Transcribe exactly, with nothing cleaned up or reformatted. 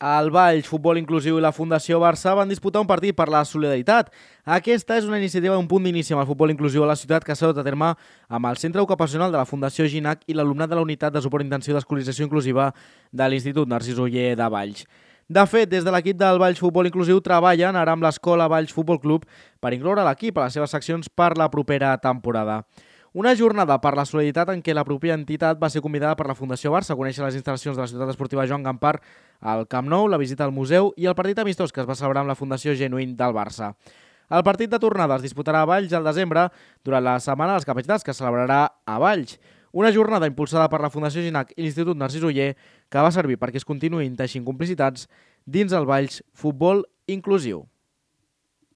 El Valls Futbol Inclusiu i la Fundació Barça van disputar un partit per la solidaritat. Aquesta és una iniciativa d'un punt d'inici amb el futbol inclusiu a la ciutat que s'ha dut a terme amb el Centre Ocupacional de la Fundació Ginac i l'alumnat de la Unitat de Suport Intensiu d'Escolarització Inclusiva de l'Institut Narcís Oller de Valls. De fet, des de l'equip del Valls Futbol Inclusiu treballen ara amb l'Escola Valls Futbol Club per incloure l'equip a les seves seccions per la propera temporada. Una jornada per la solidaritat en què la pròpia entitat va ser convidada per la Fundació Barça a conèixer les instal·lacions de la ciutat esportiva Joan Gampar, al Camp Nou, la visita al museu i el partit amistós que es va celebrar amb la Fundació Genuïn del Barça. El partit de tornada es disputarà a Valls al desembre durant la Setmana dels Capacitats, que es celebrarà a Valls. Una jornada impulsada per la Fundació Ginac i l'Institut Narcís Oller que va servir perquè es continuïn teixint complicitats dins el Valls Futbol Inclusiu.